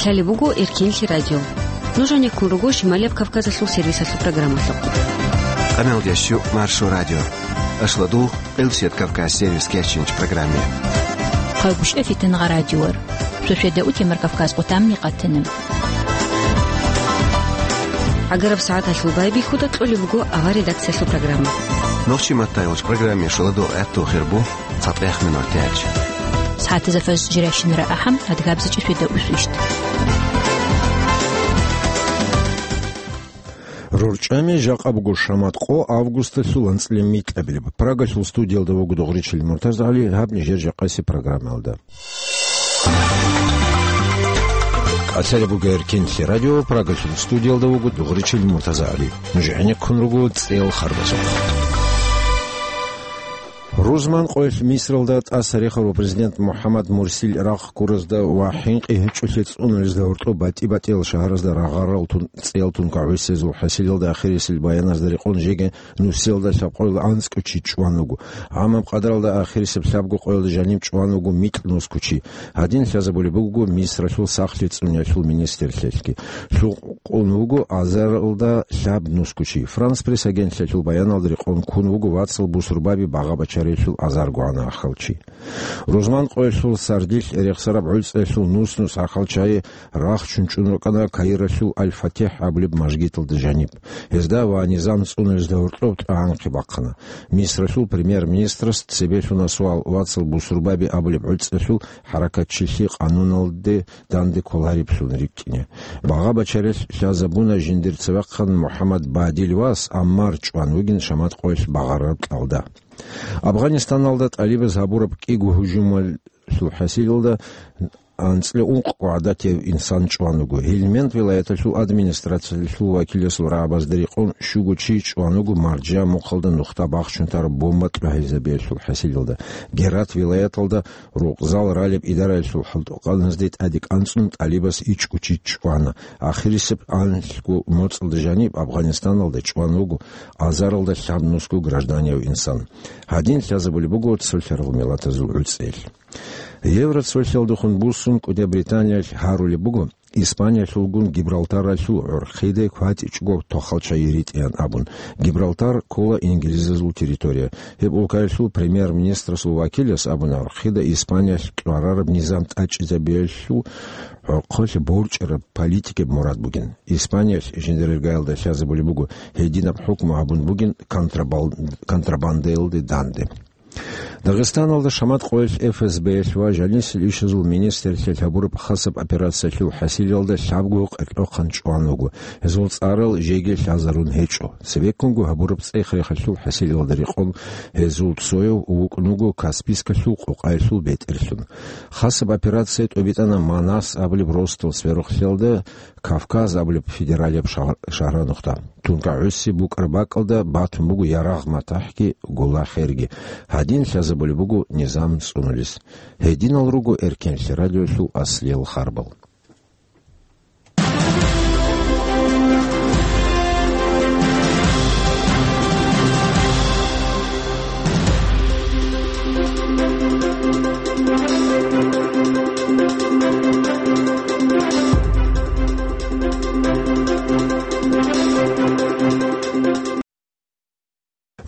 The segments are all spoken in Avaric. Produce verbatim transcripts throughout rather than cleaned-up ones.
Гьале буго Эркенлъи радио. Нуж гьанеккун руго Шималияб Кавказалъул сервисалъул программалъухъ. Къамел ящу Маршо радио. Ашладу, Къилсият Кавказ сервис кечинч программе. Хъайгушев Фитнагъа радиор. Шошеда утемар Кавказ къутамни къатана. Агараб сагӀаталъул байбихьуда кьолеб буго авар редакциялъул программа. Нохчи маттайолч программе шуладу гӀатту хирбу. ЦатӀех минутач. СагӀатазда фаж жирайщинара ахӀам, адгабзичӀеб шведа усвищ. РорчӀами жакъа буго шамат къо августалъул анцӀила микьабилеб. Прагалъул студиялда вуго Дугъричил МуртазагӀали, гьаб нижер жакъаси программалда. КӀалъалеб буго Эркенлъи радио, Прагалъул студиялда вуго Дугъричил МуртазагӀали. Нуж гӀенеккун руго цӀел харбазухъ. Рузман къоялъ Мисралда тӀаса рехарав президент МухӀаммад Мурсил рахъ ккуразда ва хӀинкъи гьечӀолъи цӀунулезда гьоркьоб батӀи-батӀиял шагьаразда рагъарал тун, цӀел тункагӀусезул хӀасилалда ахирисел баяназда рекъон жеги нусиялда лъабкъоялда анцӀго чи чӀван вуго. ГӀамаб къадаралда ахирисеб лъабго къоялда жаниб чӀван вуго микь нусго чи. Гьадин лъазабулеб буго Мисралъул сахлъи цӀуниялъул министрлъиялъги. Лъу- къун вуго азаралда лъаб нусго чи. Франс Пресс агентлъиялъул баяналда рекъон ккун вуго вацал бусурбаби багъа-бачарелъул азарго гьанахъал чи. Рузман къоялъул сардилъ рехсараб гӀуцӀиялъул нус-нус ахалчае рахчун чӀун рукӀана Каиралъул Аль-ФатихӀ абулеб мажгиталда жаниб. Гьезда ва низам цӀунулезда гьоркьоб тӀагӀанхъи бахъана. Мисралъул премьер-министрас цебе лъуна суал вацал бусурбаби абулеб гӀуцӀиялъул хӀаракатчилъи къануналде данде кколариблъун рикӀкӀине. Багъа-бачарел лъазабуна жиндир цевехъан МухӀаммад Бадил вас Аммар чӀван вугин шамат къоялъ багъараб кьалда. Афганистаналда тӀалибаз гьабураб кӀиго гьужумалъул хӀасилалда анцӀила ункъго гӀадатияв инсан чӀван вуго. Гьелмент вилаяталъул администрациялъул вакиласул рагӀабазда рекъон щуго чи чӀван вуго маржа мухъалда нухда бахчун тараб бомба кьвагьизабиялъул хӀасилалда. Герат вилаяталда Рукъзал ралеб идараялъул хӀалтӀукъаназде тӀаде кӀанцӀун тӀалибас ичӀго чи чӀвана. Ахирисеб анлъго моцӀалда жаниб Афганистаналда чӀван вуго азаралда лъабнусго гражданияв инсан. Гьадин лъазабулеб буго цолъарал миллатазул гӀуцӀел. Евроцолъиялдехун буссун КӀудияб Британиялъ гьарулеб буго, Испаниялъулгун Гибралтаралъул гӀорхъиде кватӀичӀого тохалча йиритӀеян абун. Гибралтар ккола инглизазул территория. Гьеб улкаялъул премьер-министрасул вакилас абуна, гӀорхъида Испаниялъ кьварараб низам тӀачӀизабиялъул гӀорхъолъ борчӀараб политикаб мурад бугин. Испаниялъ жиндирергаялда лъазабулеб буго гьединаб хӀукму гьабун бугин контрабал-, контрабандаялде данде. Дагъистаналда шамат къоялъ ФСБ-ялъ ва жанисел ишазул министрлъиялъ гьабураб хасаб операциялъул хӀасилалда лъабго къеркьохъан чӀван вуго. Гьезул цӀарал жеги лъазарун гьечӀо. Цебеккунго гьабураб цӀех-рехалъул хӀасилалда рекъон гьезул цояв вукӀун вуго Каспийскалъул къокъаялъул бетӀерлъун. Хасаб операция тӀобитӀана Манас абулеб росдал сверухълъиялда, Кавказ абулеб федералияб шагь-, шагьранухъда. Тункагьуси букӀараб бакӀалда батун буго ярагъ матахӀги, гула херги. Гьадин лъазабулеб буго низам цӀунулес. Гьединал руго Эркенлъи радиолъул аслиял харбал.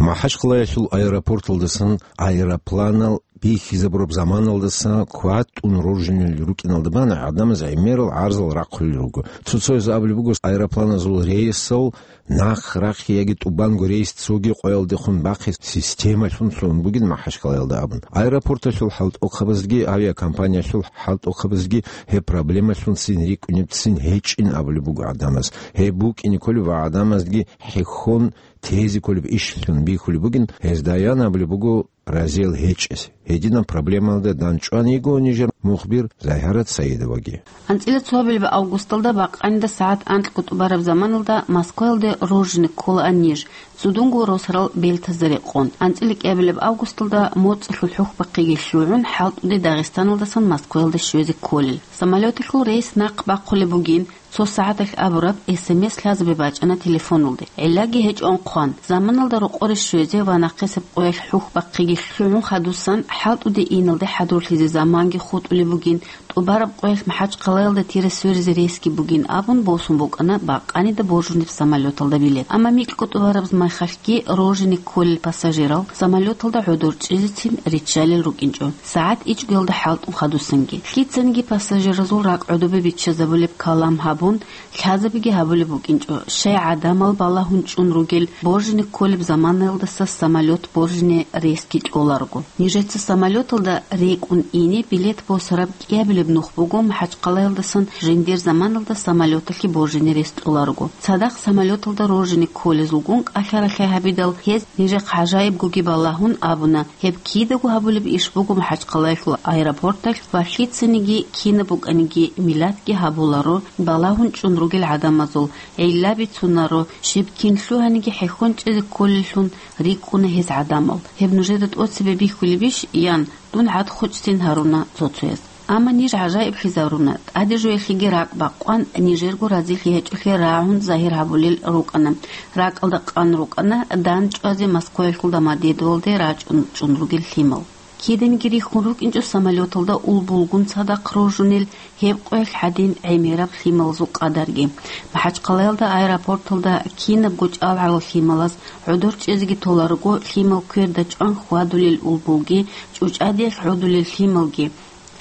МахӀачхъалаялъул аэропорталдасан аэропланал бихьизабураб заманалдаса кватӀун роржинал рукӀиналда бана гӀадамаз гӀемерал гӀарзал рахъулел руго. Цо-цояз абулеб буго, аэропланазул рейсал нахъ рахъи яги тӀубанго рейс цоги къоялдехун бахъи системалъун лъугьун бугин МахӀачхъалаялда абун. Аэропорталъул хӀалтӀухъабазги авиакомпаниялъул хӀалтӀухъабазги гьеб проблемалъун цин рикӀкӀунеб цин гьечӀин абулеб буго гӀадамаз. Гьеб букӀине кколеб ва гӀадамазги хӀехьон тезе кколеб ишлъун бихьулеб бугин, гьезда ян абулеб буго разиял гьечӀес. Гьединаб проблемалда дандчӀван йиго нижер мухбир Загьарат Саидоваги. АнцӀила цоабилеб августалда бакъанида сагӀат анкьго тӀубараб заманалда Москваялде роржине кколаан ниж, цӀудунго росарал бельтазда рекъон. АнцӀила кӀиабилеб августалда моцӀалъул хӀухьбахъиги лъугӀун, хӀалтӀуде Дагъистаналдасан Москваялде щвезе кколел. Самолёталъул рейс нахъ бахъулеб бугин, Цо сагӀаталъ абураб, эс эм эс лъазабе бачӀана телефоналде. ГӀиллаги гьечӀон хъван, заманалда рокъоре щвезе ва нахъисеб къоялъ хӀухьбахъиги лъугӀун хадусан, хӀалтӀуде иналде хӀадурлъизе заманги хутӀулеб бугин, тӀубараб къоялъ МахӀачхъалаялда тира сверизе рейсги бугин абун босун букӀана бакъанида боржунеб самолеталда билет. Амма микьго тӀубараб майхалъги рожине кколел пассажирал самолеталда гӀодор чӀезецин риччалел рукӀинчӀо, сагӀат ичӀгоялда хӀалтӀун хадусанги. Лъицаниги пассажиразул ракӀ гӀодобе биччазабулеб калам гьабун, лъазабиги гьабулеб букӀинчӀо, щай гӀадамал балагьун чӀун ругел боржине кколеб заманаялдаса самолет боржине рейсги кьоларого. Нижеца самолеталда рекӀун ине билет босараб кӀиабилеб нух буго МахӀачхъалаялдасан жиндир заманалда самолеталъе боржине рейс кьоларого. Цадахъ самолеталда рожине кколезулгун кӀалъа-рахъай гьабидал, гьез нижехъ гӀажаибгоги балагьун абуна, гьеб кидаго гьабулеб иш буго МахӀачхъалаялъул аэропорталъ ва лъицаниги кинаб букӀаниги миллатги гьабуларо, балагьун чӀун ругел гӀадамазул гӀилла бицунаро, щиб кин лъугьаниги хӀехьон чӀезе кколеллъун рикӀкӀуна гьез гӀадамал. Гьеб нужеда тӀоцебе бихьулебищ, ян дун гӀадхъучӀцин гьаруна цо-цояз. Амма ниж гӀажаиблъизаруна, тӀаде жуялъеги ракӀ бакъван, нижерго разилъи гьечӀолъи рагӀун загьир гьабулел рукӀана. РакӀалда къан рукӀана дандчӀвазе Москваялъул Домодедовалде рачӀун чӀун ругел лъимал. Киданиги рихьун рукӀинчӀо самолеталда улбулгун цадахъ рожунел гьеб къоялъ гьадин гӀемераб лъималазул къадарги. МахӀачхъалаялда аэропорталда кинабго чӀалгӀарал лъималаз гӀодор чӀезеги толарого, лъимал кверда чӀван хьвадулел улбулги, чӀучӀадиялъ гӀодулел лъималги,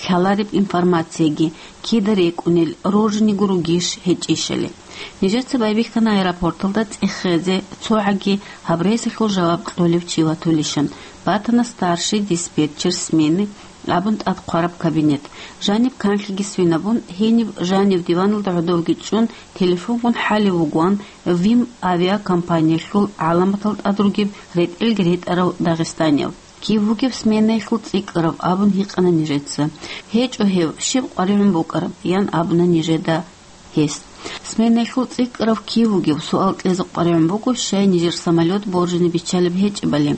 лъалареб информацияги, кида рекӀунел, рожиниго ругищ гьечӀищали. Нижеца байбихьана аэропорталда цӀехезе, цогӀаги гьаб рейсалъул жаваб кьолев чи ватулищан. Батана старший диспетчер смены абун тӀад хъвараб кабинет. Жаниб канлъиги свинабун, гьениб жанив диваналда гӀодовги чӀун, телефонгун хӀалев вугоан ВИМ авиакомпаниялъул гӀаламатал тӀад ругеб ретӀелги ретӀарав дагъистанияв. Кив вугев сменаялъул цӀикӀкӀарав? Абун гьикъана нижеца. ГьечӀо гьев, щиб къваригӀун букӀараб? Ян абуна нижеда гьес. Сменаялъул цӀикӀкӀарав кив вугев суал кьезе къваригӀун буго, щай нижер самолет боржине биччалеб гьечӀебали.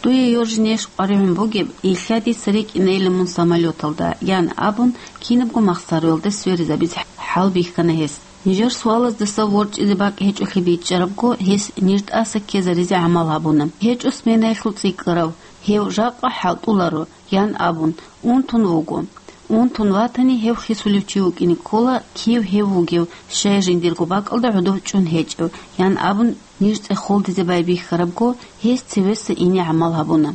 Дуе йожинейищ къваригӀун бугеб, илъа дица рикӀкӀинайилан мун самолеталда, ян абун, кинабго махсаруялда сверизабизе хӀал бихьана гьес. Нижер суалаздаса ворчӀизе бакӀ гьечӀолъи бичӀчӀарабго, гьес ниж тӀаса ккезаризе гӀамал гьабуна. ГьечӀо сменаялъул цӀикӀкӀарав, гьев жакъа хӀалтӀуларо, ян абун, унтун вуго. Унтун ватани, гьев хисулев чи вукӀине ккола, кив гьев вугев, щай жиндирго бакӀалда гӀодов чӀун гьечӀев, ян абун, ниж цӀехолдизе байбихьарабго, гьес цевеса ине гӀамал гьабуна.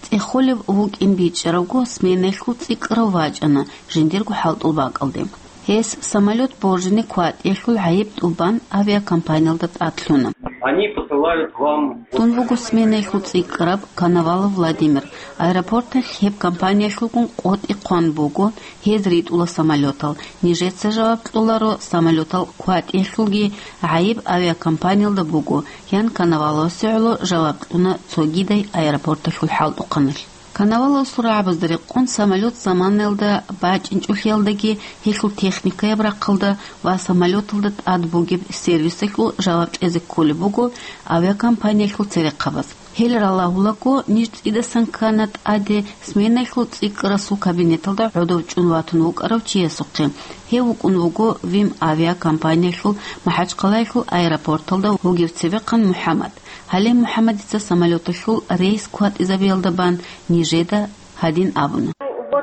ЦӀехолев вукӀин бичӀчӀарабго, сменаялъул цӀикӀкӀарав вачӀана жиндирго хӀалтӀул бакӀалде. Гьес самолет боржине кватӀиялъул гӀайиб тӀубан авиакомпаниялда тӀад лъуна. Они посылают к вам. Дун вуго сменаялъул цӀикӀкӀараб Коновалов Владимир. Аэропорталъ гьеб компаниялъулгун къотӀи хъван буго, гьез ритӀула самолетал. Нижеца жаваб кьоларо, самолетал кватӀиялъулги гӀайиб авиакомпаниялда буго, ян Коноваловасе гӀоло жаваб кьуна цогидай аэропорталъул хӀалтӀухъаналъ. Коноваловасул рагӀабазда рекъон самолет заманаялда бачӀинчӀолъиялдаги, гьелъул техникаяб рахъалда ва самолеталда тӀад бугеб сервисалъул жаваб кьезе кколеб буго авиакомпаниялъул церехъабаз. Гьел ралагьулаго, ниж цӀидасан ккана тӀаде сменаялъул цӀикӀкӀарасул кабинеталда гӀодов чӀун ватун вукӀарав чиясухъе. Гьев вукӀун вуго ВИМ авиакомпаниялъул МахӀачхъалаялъул аэропорталда вугев цевехъан МухӀаммад. Гьале МухӀаммадица самолеталъул рейс кватӀизабиялда бан нижеда гьадин абуна.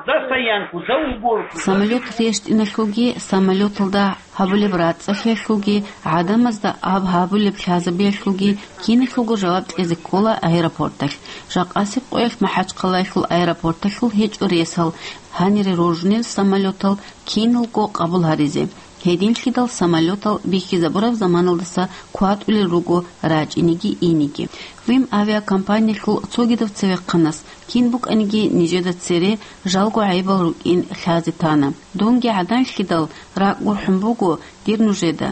За стоянку, за уборку. Самолет рещтӀиналъулги, самолеталда гьабулеб рацӀцӀалъиялъулги, гӀадамазда аб гьабулеб лъазабиялъулги киналъулго жаваб кьезе ккола аэропорталъ. Жакъасеб къоялъ МахӀачхъалаялъул аэропорталъул гьечӀо рейсал, гьанире рожунел самолетал киналго къабул гьаризе. Гьединлъидал самолетал бихьизабураб заманалдаса кватӀулел руго рачӀиниги иниги. ВИМ авиакомпаниялъул цогидав цевехъанас кин букӀаниги нижеда цере жалго гӀайибал рукӀин лъазе тана. Дунги гӀаданлъидал ракӀ гурхӀун буго дир нужеда.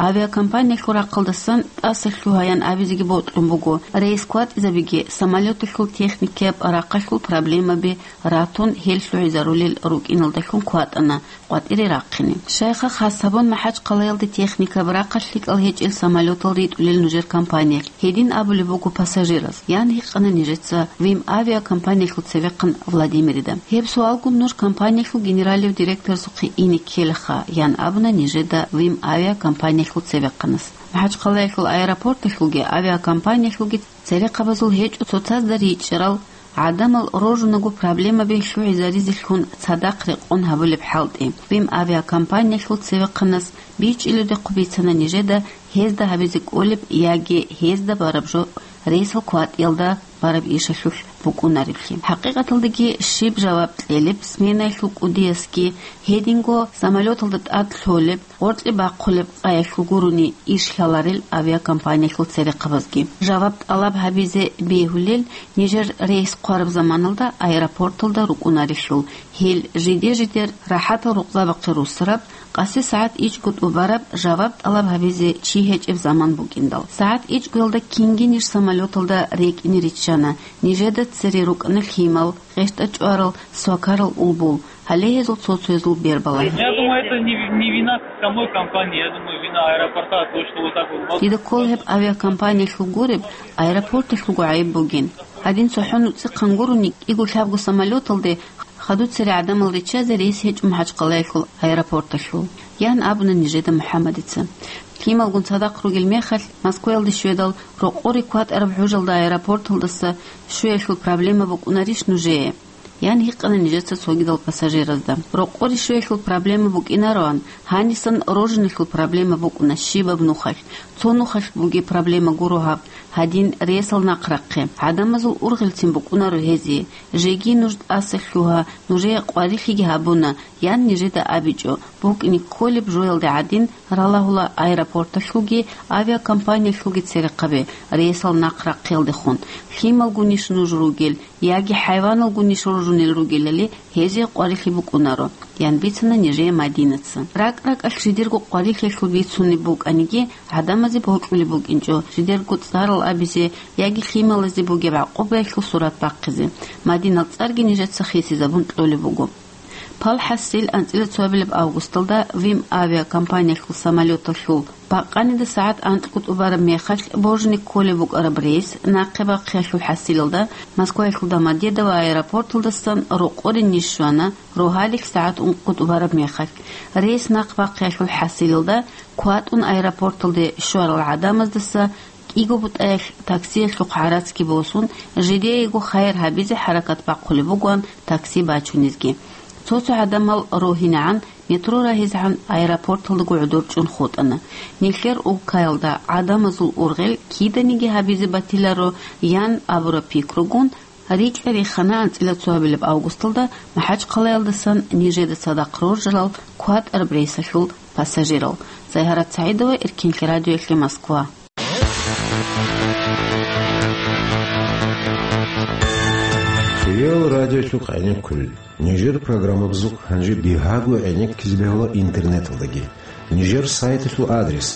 Авиакомпаниялъул рахъалдасан тӀаса лъугьаян абизеги бокьун буго, рейс кватӀизабиги самолеталъул техникияб рахъалъул проблемаби ратун, гьел лъугьизарулел рукӀиналдалъун кватӀана къватӀире рахъине. Щайха хас гьабун, МахӀачхъалаялде техникаб рахъалъ лъикӀал гьечӀел самолетал ритӀулел нужер компаниялъ, гьедин абулеб буго пассажираз, ян гьикъана нижеца ВИМ авиакомпаниялъул цевехъан Владимирида. Гьеб суалгун нуж компаниялъул генералив директорасухъе ине ккелаха, ян абуна нижеда ВИМ авиакомпаниялъул цевехъанас. МахӀачхъалаялъул аэропорталъулги авиакомпаниялъулги церехъабазул гьечӀо цоцазда ричӀчӀарал, гӀадамал рожунаго проблемаби лъугӀизаризелъун цадахъ рекъон гьабулеб хӀалтӀи. ВИМ авиакомпаниялъул цевехъанас бичӀчӀилевдехъ бицана нижеда гьезда гьабизе кӀолеб яги гьезда бараб жо рейсал кватӀиялда бараб ишалъулъ букӀунареблъи. ХӀакъикъаталдаги щиб жаваб кьелеб сменаялъул кӀудиясги, гьединго самолеталда тӀад лъолеб, гъоркье бахъулеб къаялъул гурони иш лъаларел авиакомпаниялъул церехъабазги. Жаваб тӀалаб гьабизе бегьулел нижер рейс хъвараб заманалда аэропорталда рукӀунареблъул, гьел жиде-жидер рахӀатал рукъзабахъе руссараб, къаси сагӀат ичӀго тӀубараб жаваб тӀалаб гьабизе чи гьечӀеб заман букӀиндал. СагӀат ичӀгоялда кинги ниж самолеталда рекӀине риччана, нижеда цере рукӀана лъимал, гъещтӀа чӀварал, свакарал улбул, гьале гьезул цо-цоязул бербала. Я думаю, это не, не вина самой компании, я думаю, вина аэропорта, то, что вот так вот. Дида ккола гьеб авиакомпаниялъул гуреб, аэропорталъулго гӀайиб бугин. Гьадин цохӀо нуцӀихъан гурони кӀиго-лъабго самолеталде хадуб цере гӀадамал риччазе рейс гьечӀо МахӀачхъалаялъул аэропорталъул, ян абуна нижеда МухӀаммадица. Лъималгун цадахъ ругел мехалъ, Москваялде щведал, рокъоре кватӀараб гӀужалда аэропорталдаса щвеялъул проблема букӀунарищ нужее? Ян гьикъана нижеца цогидал пассажиразда. Рокъоре щвеялъул проблема букӀинароан, гьанисан рожиналъул проблема букӀуна щибаб нухалъ. Цо нухалъ бугеб проблема гуро гьаб, гьадин рейсал нахърахъе. ГӀадамазул ургъелцин букӀунаро гьезие. Жеги нуж тӀаса лъугьа, нужее къварилъиги гьабуна, ян нижеда абичӀо, букӀине кколеб жоялде гӀадин ралагьула аэропорталъулги авиакомпаниялъулги церехъабе рейсал нахърахъелдехун. Лъималгунищ нуж ругел, яги хӀайваналгунищ ружунел ругелали гьезие къварилъи букӀунаро, ян бицана нижее Мадинаца. РакӀ-ракӀалъ жидерго къварилъиялъул бицунеб букӀаниги, гӀадамазе бокьулеб букӀинчӀо жидерго цӀарал абизе яги лъималазе бугеб гӀакъубаялъул сурат бахъизе. Мадинал цӀарги нижеца хисизабун кьолеб буго. Пал хӀасил анцӀила цоабилеб августалда ВИМ авиакомпаниялъул самолеталъул бакъанида сагӀат анкьго тӀубараб мехалъ божни кколеб букӀараб рейс нахъе бахъиялъул хӀасилалда Москваялъул Домодедово аэропорталдасан рокъоре ниж щвана, рогьалихь сагӀат ункъго тӀубараб мехалъ. Рейс нахъ бахъиялъул хӀасилалда кватӀун аэропорталде щварал гӀадамаздаса кӀиго бутӀаялъ таксиялъухъ гӀарацги босун, жидеего хайир гьабизе хӀаракат бахъулеб бугоан такси бачунезги. Цо-цо гӀадамал рогьинегӀан метро рагьизегӀан аэропорталдаго гӀодор чӀун хутӀана. Нилъер улкаялда гӀадамазул ургъел киданиги гьабизе батиларо, ян абураб пикругун, рикӀкӀад рихана анцӀила цоабилеб августалда МахӀачхъалаялдасан нижеда цадахъ роржарал кватӀараб рейсалъул пассажирал. Загьарат СагӀидова, Эркенлъи радиоялъе, Москва. Реал радиолъухъ гӀенеккулел. Нижер программабазухъ гьанже бигьаго гӀенеккизе бегьула интернеталдаги. Нижер сайталъул адрес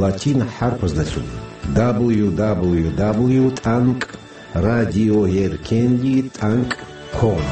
латин хӀарпаздалъун: дабл ю дабл ю дабл ю тӀанкӀ радиоеркенлъи тӀанкӀ ком.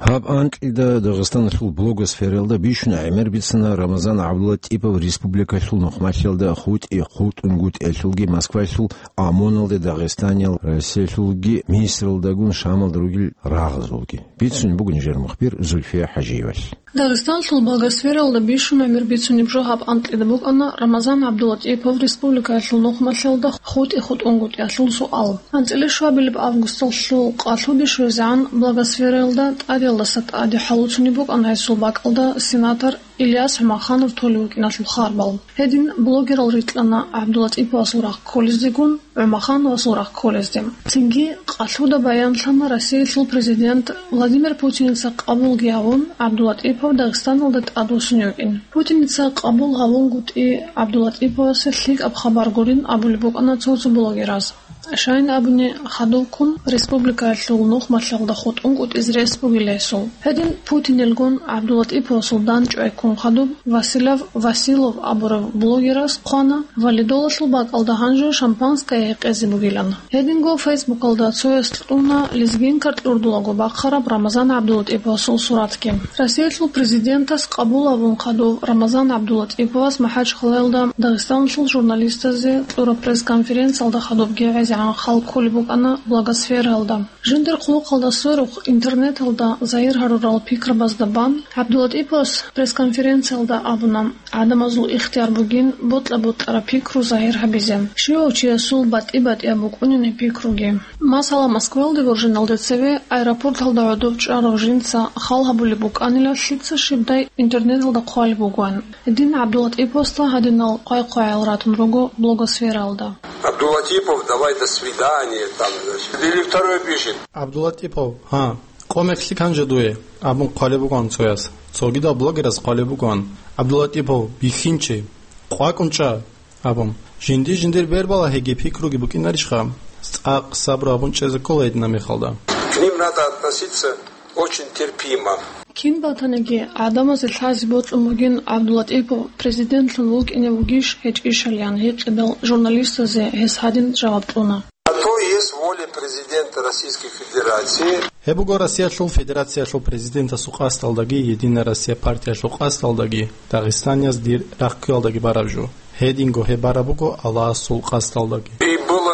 Гьаб анкьида Дагъистаналъул блогосфералда бищун гӀемер бицана Рамазан ГӀабдуллатӀипов республикалъул нухмалъиялда хутӀи-хутӀунгутӀиялъулги Москвалъул ОМОНалде Дагъистаниял Россиялъулги Мисралдагун Шамалда ругел рагъазулги. Бицунеб буго нижер мухбир Зульфия ХӀажиевалъ. Дагъистанлъул блогосфералда бищун гӀемер бицунеб жо гьаб анкьида букӀана Рамазан ГӀабдулатӀипов республикаялъул нухмалъиялда хутӀи-хутӀунгутӀиялъул суал. АнцӀила шабилеб августалъул къалъуде щвезегӀан блогосфералда тӀадеялдаса тӀаде хӀалуцунеб букӀана гьесул бакӀалда сенатор Ильяс ГӀумаханов толев вукӀиналъул харбал. Гьедин блогерал рикьана ГӀабдулатӀиповасул рахъ кколездегун, ГӀумахановасул рахъ кколезде. Цинги къалъуда баянлъана Россиялъул президент Владимир Путиница къабулги гьавун, ГӀабдулатӀипов Дагъистаналда тӀадвуссунев вукӀин. Путиница къабул гьавунгутӀи ГӀабдулатӀиповасе лъикӀаб хабар гурин абулеб букӀана цо-цо блогераз. Щайин абуни, хадубккун республикаялъул нухмалъалда хутӀун кӀутӀизе рес бугила гьесул. Гьедин Путинилгун ГӀабдулатӀиповасул дандчӀвай ккун хадуб Василав Василов абурав блогерас хъвана, валидолалъул бакӀалда гьанже шампанское гьекъезе бугилан. Гьединго Фейсбукалда цояс кьуна лезгинка кьурдулаго бахъараб Рамазан ГӀабдулатӀиповасул суратги. Россиялъул президентас къабул абун хадуб Рамазан ГӀабдулатӀиповас МахӀачхъалаялда Дагъистаналъул журналистазе кьураб пресс-конференциялда хадубги гӀезегӀан халкъ кколеб букӀана блогосфераялда. Жиндир хъулухъалда сверухъ интернеталда загьир гьарурал пикрабазда бан ГӀабдулатӀиповас пресс-конференциялда абуна, гӀадамазул ихтияр бугин бутӀа-бутӀараб пикру загьир гьабизе. Щивав чиясул батӀи-батӀияб букӀунин гьеб пикруги. Масала, Москваялде вуржиналде цеве аэропорталда гӀодов чӀарав жинца хал гьабулеб букӀанила лъица щибдай интернеталда хъвалеб бугоан. Гьедин ГӀабдулатӀиповасда гьадинал хъвай-хъваял ратун руго блогосфераялда. Абдулатипов, давай до свидания, там, значит. Или второй пишет. ГӀабдулатӀипов, гьа, къо мехлъи канже дуе, абун хъвалеб бугоан цояс. Цогидал блогерас хъвалеб бугоан: ГӀабдулатӀипов, бихьинчи, къвакӀун чӀа, абун. Жинди-жиндир бербалагьиги пикруги букӀинарищха? ЦӀакъ сабру абун чӀезе ккола гьединаб мехалда. К ним надо относиться очень терпимо. Кин батаниги, гӀадамазе лъазе бокьун бугин ГӀабдулатӀипов президентлъун вукӀине вугищ гьечӀищалиян гьикъидал журналистазе гьес гьадин жаваб кьуна. На то есть воля президента Российской Федерации. Гьеб буго Россиялъул Федерациялъул президентасул къасдалдаги, Единая Россия партиялъул къасдалдаги, дагъистанияз дир рахъиялдаги бараб жо. Гьединго гьеб бараб буго Аллагьасул къасдалдаги. И было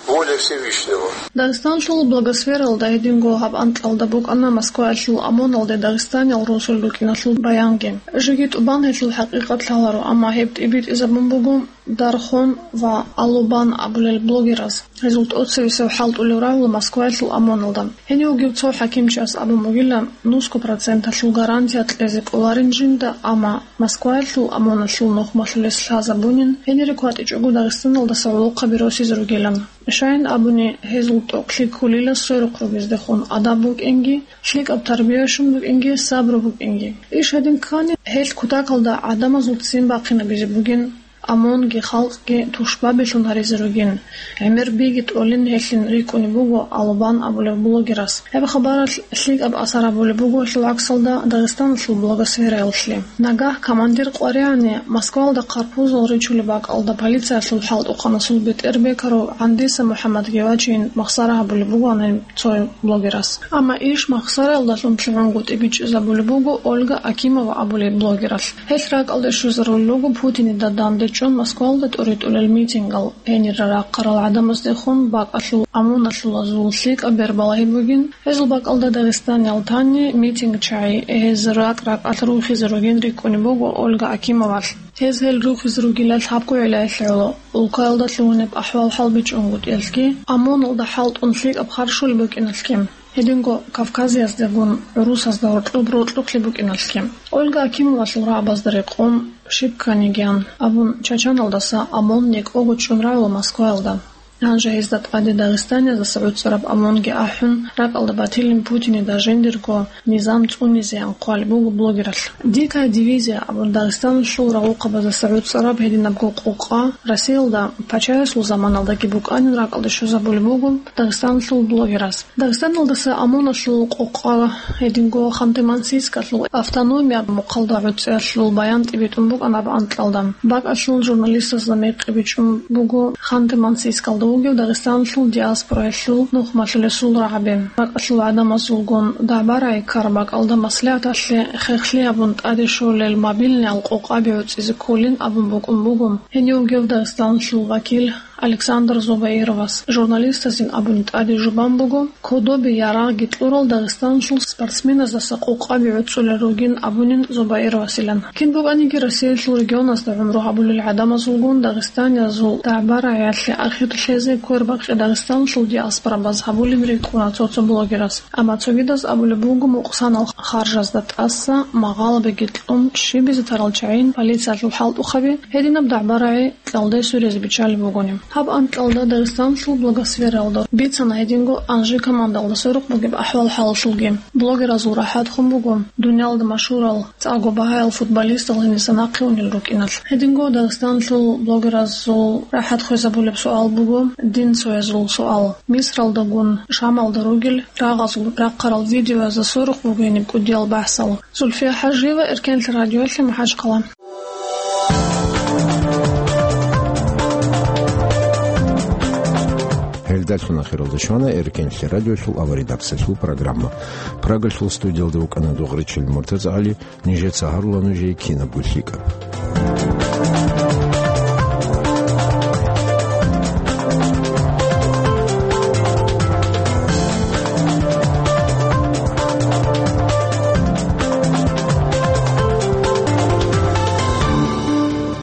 воля Всевышнего. Дагъистанлъул блогосфералда гьединго гьаб анкьалда букӀана Москваялъул ОМОНалде дагъистаниял росулел рукӀиналъул баянги. Жеги тӀубан гьелъул хӀакъикъат лъаларо, амма гьеб тӀибитӀизабун буго Дархон ва Алубан абулел блогераз. Гьезул тӀоцевесев хӀалтӀулев рагьула Москваялъул ОМОНалда. Гьенив вугев цо хӀакимчияс абун бугила, нусго проценталъул гарантия кьезе кӀоларин жинда, амма Москваялъул ОМОНалъул нухмалъулес лъазабунин, гьенире кватӀичӀого Дагъистаналдаса гӀолохъаби росизе ругилан. Щайин абуни, гьезул тӀокӀлъи кколила сверухъ ругездехун адаб букӀинги, лъикӀаб тарбия щун букӀинги, сабру букӀинги. Иш гьедин ккани, гьелъ кутакалда гӀадамазул ццин бахъинабизе бугин. ОМОНги халкъги тушбабилъун гьаризе ругин, гӀемер биги тӀолин гьелъин рикӀкӀунеб буго Алубан абулев блогерас. Гьеб хабаралъ лъикӀаб асар гьабулеб буго гьелъул гӀаксалда Дагъистаналъул блогосфераялъе. Нагагь командир къваригӀани Москваялда хъарпузул ричулеб бакӀалда полициялъул хӀалтӀухъанасул бетӀер бекарав ГӀандиса МухӀаммадги вачейин махсара гьабулеб бугоан гьеб цо блогерас. Амма иш махсараялдалъун лъугӀунгутӀи бичӀчӀизабулеб буго Ольга Акимова абулеб блогералъ. Гьелъ ракӀалде щвезарулел руго Путинида дандечӀун Москвалда тӀуритӀулел митингал, гьенире рахъарал гӀадамаздехун бакӀалъул ОМОНалъулазул лъикӀаб бербалагьи бугин. Гьезул бакӀалда Дагъистаниял тани митинг чагӀи, гьез ракӀ-ракӀалъ рухизе ругин рикӀкӀунеб буго Ольга Акимовалъ. Гьез гьел рухизе ругилан лъабго гӀиллаялъе гӀоло: улкаялда лъугьунеб ахӀвал-хӀал бичӀчӀунгутӀиялъги, ОМОНалда хӀалтӀун лъикӀаб харщулеб букӀиналъги. Гьединго Кавказияздегун гӀурусазда гьоркьоб рокьухълъи букӀиналъги. Ольга Акимовалъул рагӀабазда рекъон, щиб кканигиян абун, Чачаналдаса ОМОН некӀого чӀун рагӀула Москваялда. Гьанже гьезда тӀаде дагъистаниязаса гӀуцӀараб ОМОНги ахӀун, ракӀалда батилин Путинида жиндирго низам цӀунизеян хъвалеб буго блогералъ. «Дикая дивизия» абун Дагъистаналъул рагъухъабазаса гӀуцӀараб гьединабго къокъа Россиялда пачаясул заманалдаги букӀанин ракӀалде щвезабулеб буго Дагъистаналъул блогерас. Дагъистаналдаса ОМОНалъул къокъа гьединго Ханты-Мансийскалъул автономия мухъалда гӀуцӀиялъул баян тӀибитӀун букӀана аб анкьалда. БакӀалъул журналистазда мекъи бичӀчӀун буго Ханты-Мансийскалда вугев Дагъистаналъул диаспораялъул нухмалъулесул рагӀаби. БакӀалъул гӀадамазулгун дагӀба-рагӀи ккараб бакӀалда маслигӀаталъе хехлъи гьабун тӀаде щолел мобильныял къокъаби гӀуцӀизе кколин абун букӀун буго гьенив вугев Дагъистаналъул вакил Александр Зубаировас. Журналистазин абуни тӀаде жубан буго, кодобе ярагъги кьурал Дагъистаналъул спортсменаздаса къокъаби гӀуцӀулел ругин абунин Зубаировасилан. Кин букӀаниги Россиялъул регионазда гӀумру гьабулел гӀадамазулгун дагъистаниязул дагӀба-рагӀиялъе ахир лъезе квербакъи Дагъистаналъул диаспорабаз гьабулеб рикӀкӀуна цо-цо блогерас. Амма цогидаз абулеб буго мукъсанал харжазда тӀаса магъалабиги кьун щибизе тарал чагӀин полициялъул хӀалтӀухъаби гьединаб дагӀба-рагӀи кьалде сурезе биччалеб бугони. Гьаб анкьалда Дагъистанлъул блогосфералда бицана гьединго Анжи командалда сверухъ бугеб ахӀвал-хӀалалъулги. Блогеразул рахӀат хун буго дуниялда машгьурал цӀакъго багьаял футболистал гьениса нахъе унел рукӀиналъ. Гьединго Дагъистанлъул блогеразул рахӀат хвезабулеб суал буго, динцоязул суал. Мисралдагун Шамалда ругел рагъазул рахъарал видеоязда сверухъ бугони кӀудиял бахӀсал. Зульфия ХӀажиева, Эркенлъи радиолъи, МахӀачхъала. Гьелдалъун ахиралда щвана Эркенлъи радиолъул аваридаксалъул программа. Прагалъул студиялда вукӀана Дугъричил МуртазагӀали, нижеца гьарула нужее кинабго лъикӀаб.